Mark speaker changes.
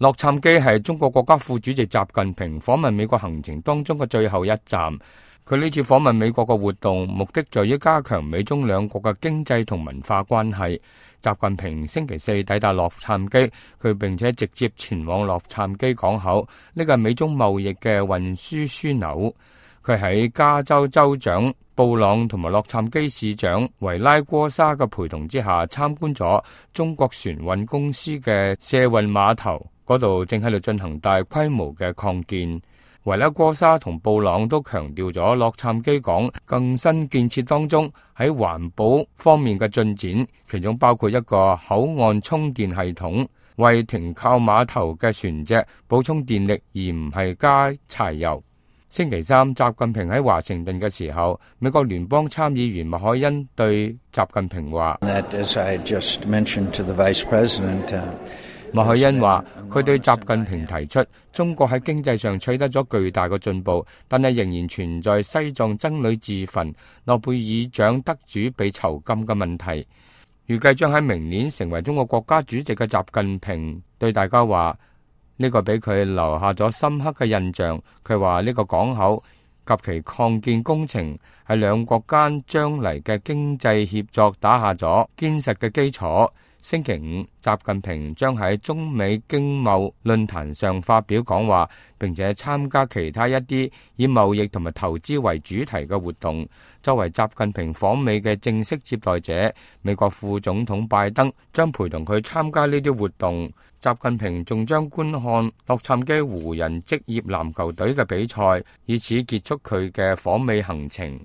Speaker 1: 洛杉磯係中國國家副主席習近平訪問美國行程當中嘅最後一站。佢呢次訪問美國嘅活動，目的在於加強美中兩國嘅經濟同文化關係。習近平星期四抵達洛杉磯，佢並且直接前往洛杉磯港口，呢個係美中貿易嘅運輸樞紐。佢喺加州州長布朗同埋洛杉磯市長維拉戈沙嘅陪同之下，參觀咗中國船運公司嘅卸運碼頭，嗰度正喺度進行大規模嘅擴建。維拉戈沙同布朗都強調咗洛杉磯港更新建設當中喺環保方面嘅進展，其中包括一個口岸充電系統，為停靠碼頭嘅船隻補充電力，而唔係加柴油。星期三，習近平喺華盛頓嘅時候，美國聯邦參議員麥凱恩對習近平話：麥凱恩話，佢對習近平提出中國喺經濟上取得咗巨大嘅進步，但係仍然存在西藏僧侶自焚、諾貝爾獎得主被囚禁嘅問題。預計將喺明年成為中國國家主席嘅習近平對大家話，呢個俾佢留下咗深刻嘅印象。佢話呢個港口及其擴建工程係兩國間將嚟嘅經濟協作打下咗堅實嘅基礎。星期五，習近平將喺中美經貿論壇上發表講話，並且參加其他一啲以貿易同埋投資為主題嘅活動。作為習近平訪美嘅正式接待者，美國副總統拜登將陪同佢參加呢啲活動。習近平仲將觀看洛杉磯湖人職業籃球隊嘅比賽，以此結束佢嘅訪美行程。